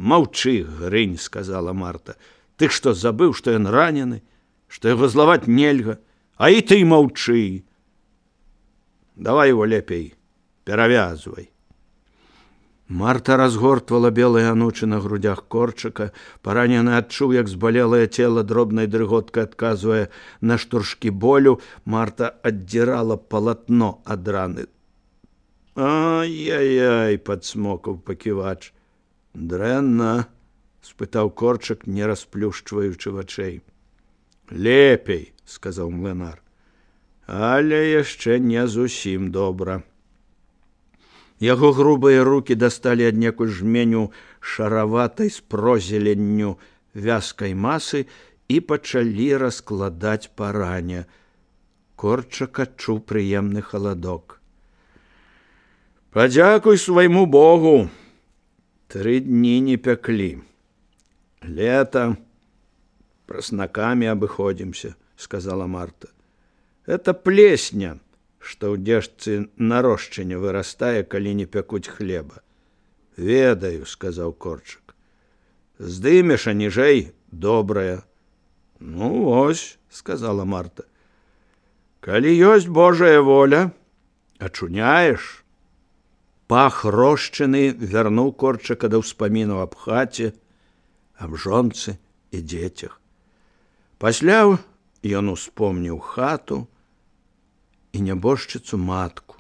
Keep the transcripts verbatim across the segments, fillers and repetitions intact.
Маўчы, Грынь, сказала Марта. Ты што, забыў, што ён ранены, што яго злаваць нельга, а і ты маўчы. Давай его лепей перавязвай. Марта разгортвала белыя анучы на грудях Корчыка. Паранены адчуў, як збалелае цела дробнай дрыготкай адказвае на штуршкі болю. Марта аддзірала палатно ад раны. Ай-яй-яй, падсмокаў паківач. Дрэнна, спытаў Корчык, не расплюшчваючы вачэй. Лепей, сказаў млынар. Але яшчэ не зусім добра. Яго грубыя рукі дасталі аднекуль жменю шараватай з прозеленню вязкай масы і пачалі раскладаць па ране. Корчак адчуў прыемны халадок. Падзякуй свайму Богу. Тры дні не пяклі. Лета, праснакамі абыходзімся, сказала Марта. Это плесня, што ў дзежцы на рошчыне вырастае, калі не пякуць хлеба. Ведаю, сказаў Корчык. Здымеш, а ніжэй добрая. Ну, ось, сказала Марта. Калі ёсць Божая воля, ачуняеш. Пах рошчыны вярнуў Корчыка да ўспамінаў аб хаце, аб жонцы і дзецях. Пасля ён успомніў хату і нябожчыцу матку.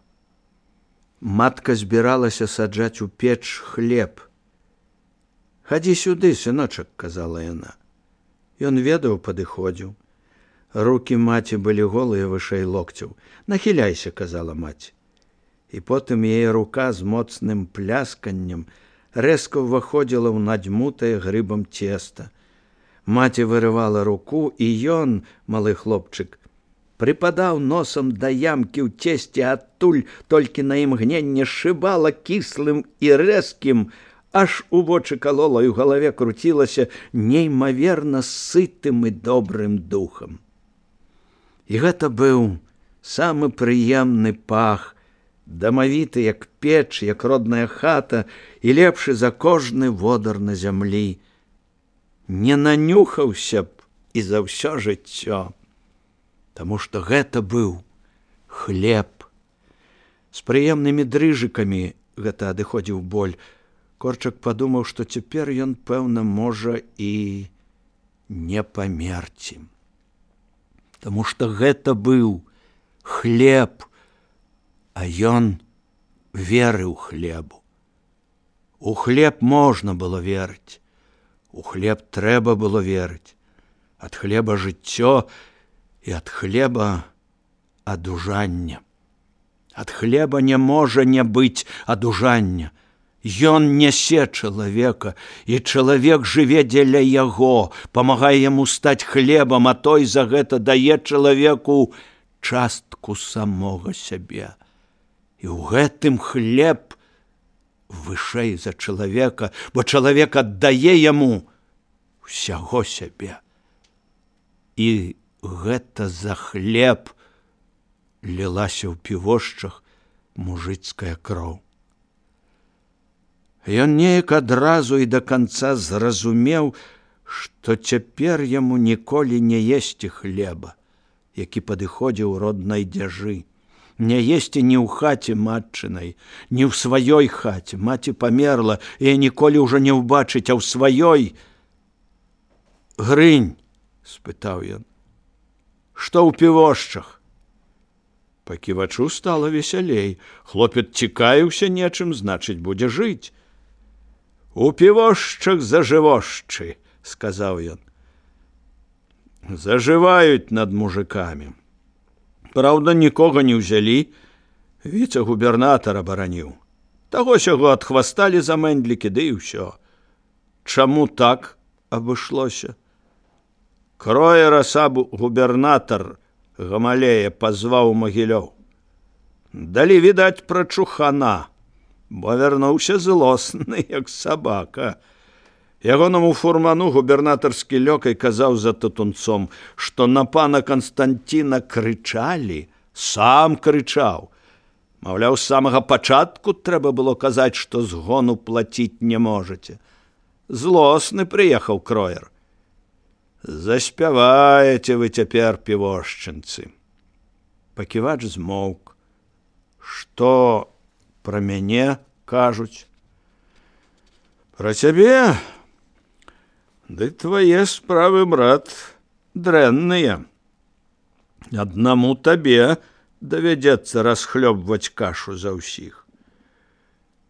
Матка збіралася саджаць у печ хлеб. Хадзі сюды, сыночак, казала яна. Ён ведаў, падыходзіў. Рукі маці былі голыя вышэй локцяў. Нахіляйся, казала маці. І потым яе рука з моцным плясканнем рэзка ўваходзіла ў надзьмутае грыбам цеста. Маці вырывала руку, і ён, малы хлопчык, прыпадаў носам да ямкі ў цесце, адтуль толькі на імгненне сшыбала кіслым і рэзкім, аж у вочы калола і ў галаве круцілася неймаверна сытым і добрым духам. І гэта быў самы прыемны пах, дамавіты, як печ, як родная хата, і лепшы за кожны водар на зямлі. Не нанюхаўся б і за ўсё жыццё. Таму што гэта быў хлеб. З прыемнымі дрыжыкамі гэта адыходзіў боль. Корчак падумаў, што цяпер ён, пэўна, можа і не памерці. Таму што гэта быў хлеб, а ён верыў хлебу. У хлеб можна было верыць. У хлеб трэба было верыць. Ад хлеба жыццё, і ад хлеба адужання. Ад хлеба не можа не быць адужання. Ён нясе чалавека, і чалавек жыве дзеля яго, памагае яму стаць хлебам, а той за гэта дае чалавеку частку самога сябе. І ў гэтым хлеб вышэй за чалавека, бо чалавек аддае яму усяго сябе. І гэта за хлеб лілася ў півошчах мужыцкая кроў. Ён неяк адразу і да канца зразумеў, што цяпер яму ніколі не есці хлеба, які падыходзіў роднай дзяжы. Не есці ні ў хаце матчынай, ні ў сваёй хаце. Маці памерла, і ніколі ўжо не ўбачыць, а ў сваёй. Грынь, спытаў ён, што ў півошчах? Паківачу стала весялей. Хлопец цікавіўся нечым, значыць, будзе жыць. У півошчах зажывошчы, сказаў ён. Зажываюць над мужикамі. Праўда, нікога не ўзялі. Віцэ-губернатар абараніў. Таго сяго адхвасталі за мэндлікі, ды і ўсё. Чаму так абышлося? Крое расабу губернатар Гамалея пазваў у Магілёў. Далі, відаць, прачухана, бо вярнуўся злосны, як сабака. Ягонаму фурману губернатарскі лёкай казаў за татунцом, што на пана Канстантіна крычалі, сам крычаў. Маўляў, з самага пачатку трэба было казаць, што згону плаціць не можаце. Злосны прыехаў кроер. Заспяваеце вы цяпер, півошчынцы. Паківач змоўк. Што пра мяне кажуць? Пра цябе? Ды твае справы, брат, дрэнныя. Аднаму табе давядзецца расхлёбваць кашу за ўсіх.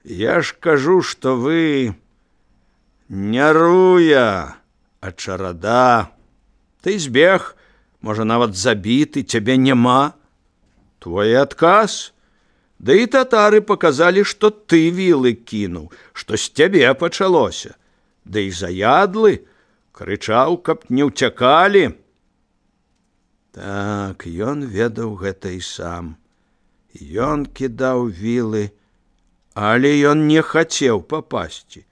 Я ж кажу, што вы не руя, а чарада. Ты збег, можа, нават забіты, цябе няма. Твой адказ? Да і татары паказалі, што ты вілы кінуў, што з цябе пачалося. Да і заядлы крычаў, каб не ўцякалі. Так, ён ведаў гэта і сам. Ён кідаў вілы, але ён не хацеў папасці.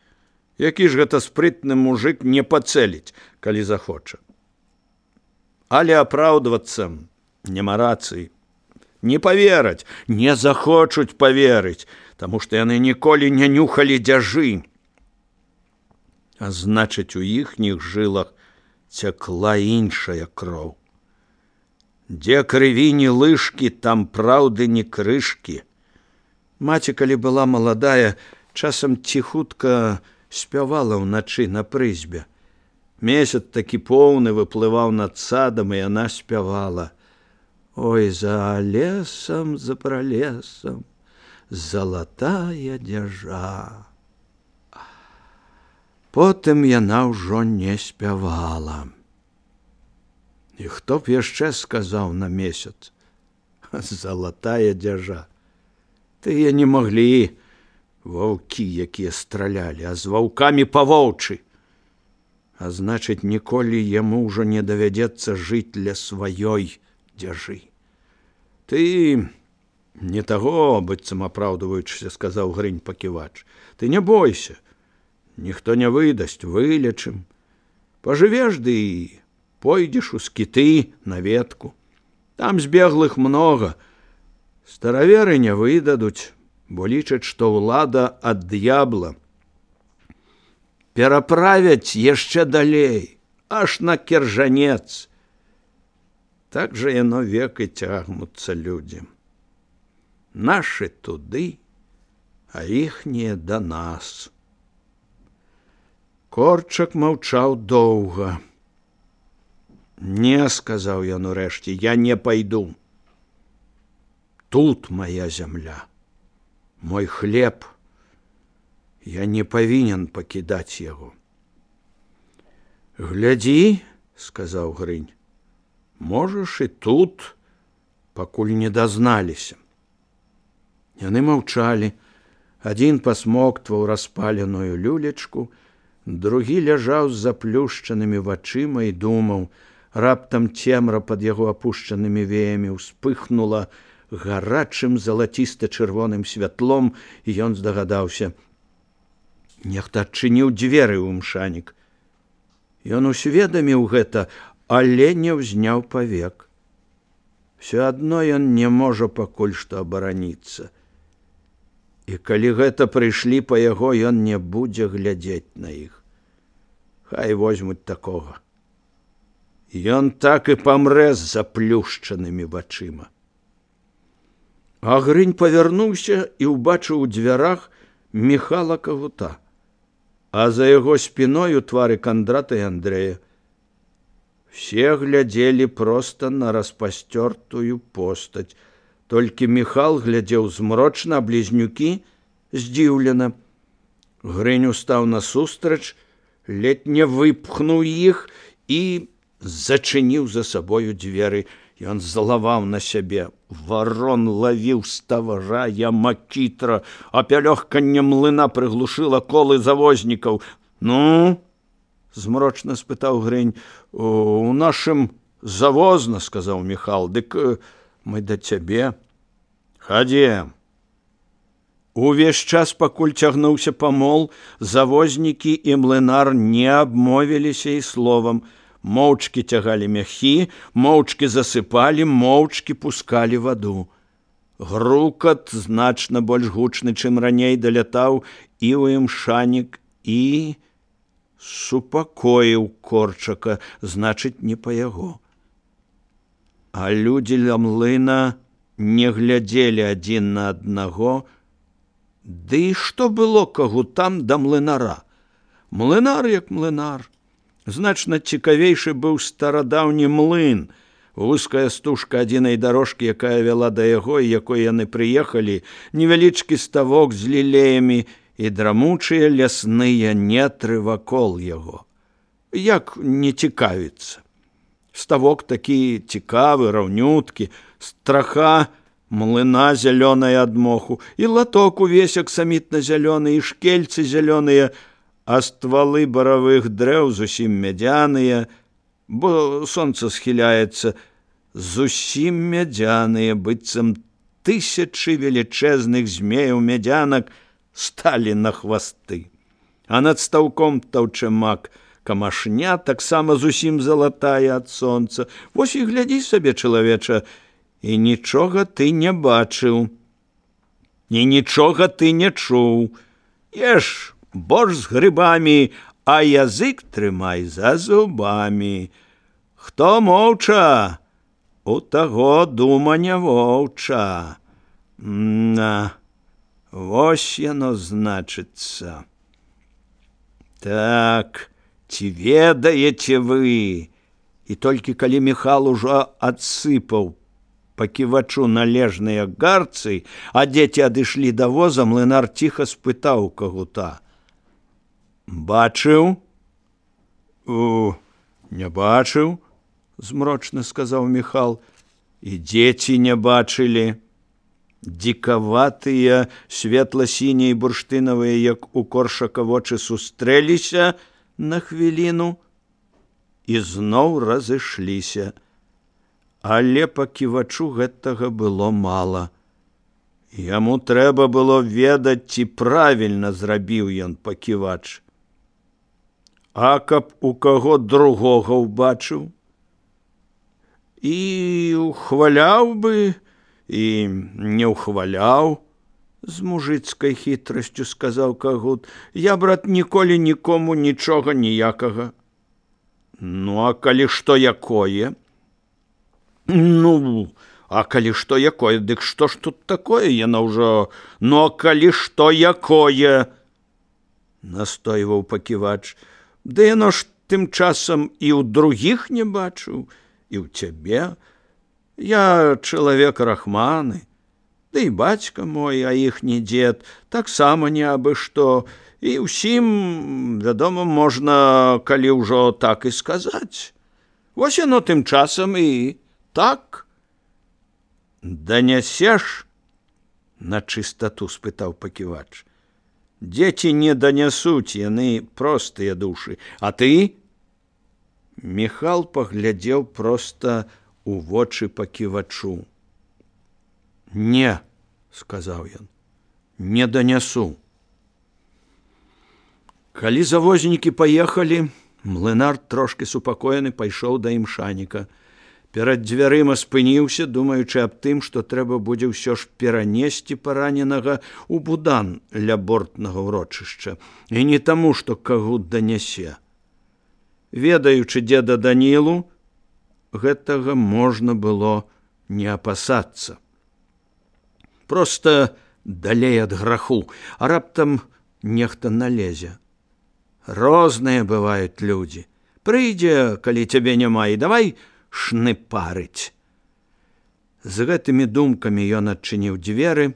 Які ж гэта спрытны мужик не пацэліць, калі захоча. Але апраўдвацца няма рацыі. Не павераць, не захочуць паверыць, таму што яны ніколі не нюхалі дзяжы. А значыць, у іхніх жылах цякла іншая кроў. Дзе крыві ні лыжкі, там праўды ні крышкі. Маці, калі была маладая, часам ціхутка спявала ўначы на прызбе. Месяц такі поўны выплываў над садам, і яна спявала: ой, за лесам, за пралесам, залатая дзяжа. Потым яна ўжо не спявала. І хто б яшчэ сказаў на месяц? Залатая дзяжа. Тыя не маглі, ваўкі, якія стралялі, а з ваўкамі па-воўчы. А значыць, ніколі яму ўжо не давядзецца жыць для сваёй дзяжы. Ты не таго, быццам апраўдваючыся, сказаў Грынь паківач. Ты не бойся, ніхто не выдасць, вылечым. Пажывеш ды і пойдзеш у скіты на ветку. Там збеглых многа. Стараверы не выдадуць, бо лічаць, што ўлада ад д'ябла. Пераправяць яшчэ далей, аж на Кержанец. Так жа яно век і цягнуцца людзі. Нашы туды, а іхнія да нас. Корчак маўчаў доўга. Не, сказаў ён урэшце, я не пайду. Тут моя зямля, мой хлеб. Я не павінен пакідаць яго. Глядзі, сказаў Грынь, можаш і тут, пакуль не дазналіся. Яны маўчалі. Адзін пасмоктваў распаленую люлечку, другі ляжаў з заплюшчанымі вачыма і думаў. Раптам цемра пад яго апушчанымі веямі ўспыхнула гарачым залаціста-чырвоным святлом, і ён здагадаўся. Нехта адчыніў дзверы ў імшанік. Ён усведаміў гэта, але не ўзняў павек. Всё адно ён не можа пакуль што абараніцца. І калі гэта прыйшлі па яго, ён не будзе глядзець на іх. Хай возьмуць такога. Ён так і памрэ з заплюшчанымі вачыма. А Грынь павярнуўся і ўбачыў у дзвярах Міхала Кагута, а за яго спіной у твары Кандрата і Андрэя. Все глядзелі проста на распасцёртую постаць. Толькі Міхал глядзеў змрочна, а блізнюкі здзіўлена. Грынь устаў насустрач, ледь не выпхнуў іх і зачыніў за сабою дзверы. Ён залаваў на сябе. Варон лавіў ставажа, макітра, а пялёгканне млына прыглушыла колы завознікаў. Ну, змрочна спытаў Грынь. У нашым завозна, сказаў Міхал. Дык мы да цябе. Хадзем. Увесь час, пакуль цягнуўся памол, завознікі і млынар не абмовіліся і словам. Моўчкі цягалі мяхі, моўчкі засыпалі, моўчкі пускалі ваду. Грукат, значна больш гучны, чым раней, далятаў і ў імшанік, і супакоіў Корчака, значыць, не па яго. А людзі ля млына не глядзелі адзін на аднаго. Ды і што было кагутам да млынара? Млынар як млынар. Значна цікавейшы быў старадаўні млын, вузкая стужка адзінай дарожкі, якая вяла да яго, і якой яны прыехалі, невялічкі ставок з лілеямі і драмучыя лясныя нетры вакол яго. Як не цікавіцца? Ставок такі цікавы, раўнюткі, страха млына зялёная ад моху, і латок увесь аксамітна-зялёны, і шкельцы зялёныя, а ствалы баравых дрэў зусім мядзяныя, бо сонца схіляецца, зусім мядзяныя, быццам тысячы велічэзных змеяў-мядзянак сталі на хвасты. А над стаўком таўчэ мак камашня, таксама зусім залатая ад сонца. Вось і глядзі сабе, чалавеча, і нічога ты не бачыў, і нічога ты не чуў. Еш борщ з грыбамі, а язык трымай за зубамі. Хто моўча, у таго дума не воўча. На, вось яно значыцца. Так, ці ведаеце вы? І толькі калі Міхал ужо адсыпаў паківачу належныя гарцы, а дзеці адышлі да воза, млынар ціха спытаў кагута: бачыў? У, не бачыў, змрочна сказаў Міхал. І дзеці не бачылі. Дзікаватыя, светла-сінія бурштынавыя, як у Коршака вочы, сустрэліся на хвіліну і зноў разышліся. Але паківачу гэтага было мала. Яму трэба было ведаць, ці правільна зрабіў ён паківач. А каб у каго другога ўбачыў? І ухваляў бы, і не ўхваляў, з мужыцкай хітрасцю сказаў кагут. Я, брат, ніколі нікому нічога ніякага. Ну, а калі што якое? Ну, а калі што якое, дык што ж тут такое, яна ўжо... Ну, а калі што якое? Настойваў паківач. Ды яно ж тым часам і ў другіх не бачыў, і ў цябе. Я чалавек рахманы, ды і бацька мой, а іхні дзед, таксама не абы што. І ўсім, вядома, можна, калі ўжо так і сказаць. Вось яно тым часам і так. Данясеш? На чыстату спытаў паківач. Дзеці не данясуць, яны простыя душы. А ты? Міхал паглядзеў проста у вочы паківачу. Не, сказаў ён, не данясу. Калі завознікі паехалі, млынар, трошкі супакоены, пайшоў да імшаніка. Перад дзвярыма спыніўся, думаючы аб тым, што трэба будзе ўсё ж перанесці параненага ў будан ля бортнага ўрочышча. І не таму, што кагут данясе. Ведаючы дзеда Данілу, гэтага можна было не апасацца. Проста далей ад граху, а раптам нехта налезе. Розныя бываюць людзі. Прыйдзе, калі цябе няма, і давай шныпарыць. З гэтымі думкамі ён адчыніў дзверы.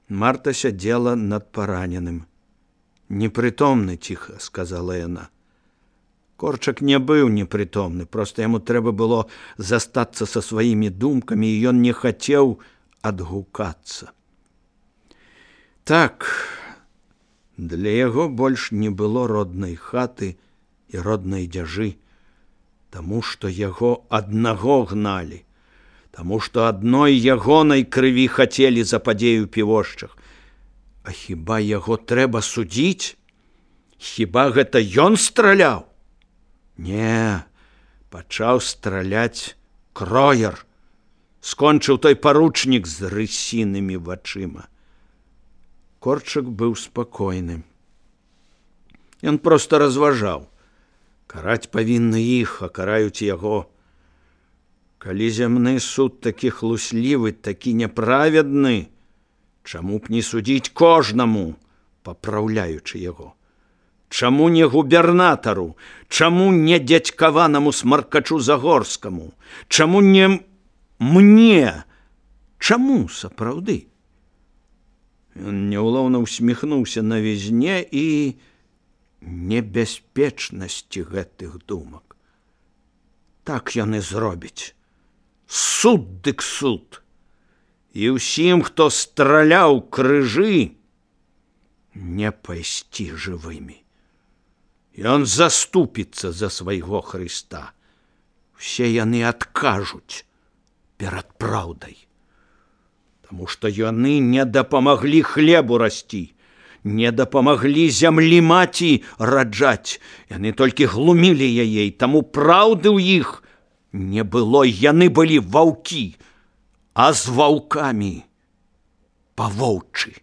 Марта сядзела над параненым. Непрытомны, ціха сказала яна. Корчак не быў непрытомны, проста яму трэба было застацца са сваімі думкамі, і ён не хацеў адгукацца. Так, для яго больш не было роднай хаты і роднай дзяжы, таму што яго аднаго гналі, таму што адной ягонай крыві хацелі за падзею ў півошчах. А хіба яго трэба судзіць? Хіба гэта ён страляў? Не, пачаў страляць кроер. Скончыў той паручнік з рысінымі вачыма. Корчак быў спакойны. Ён проста разважаў. Караць павінны іх, а караюць яго. Калі зямны суд такі хлуслівы, такі няправедны, чаму б не судзіць кожнаму, папраўляючы яго? Чаму не губернатару? Чаму не дзядзькаванаму смаркачу Загорскаму? Чаму не мне? Чаму сапраўды? Ён няўлоўна усміхнуўся навізне і небяспечнасці гэтых думак. Так яны зробяць. Суд дык суд. І ўсім, хто страляў крыжы, не пайсці жывымі. Ён заступіцца за свайго Хрыста. Усе яны адкажуць перад праўдай. Таму што яны не дапамаглі хлебу расці, не дапамаглі зямлі маці раджаць. Яны толькі глумілі яе, таму праўды ў іх не было. Яны былі ваўкі, а з ваўкамі па-воўчы.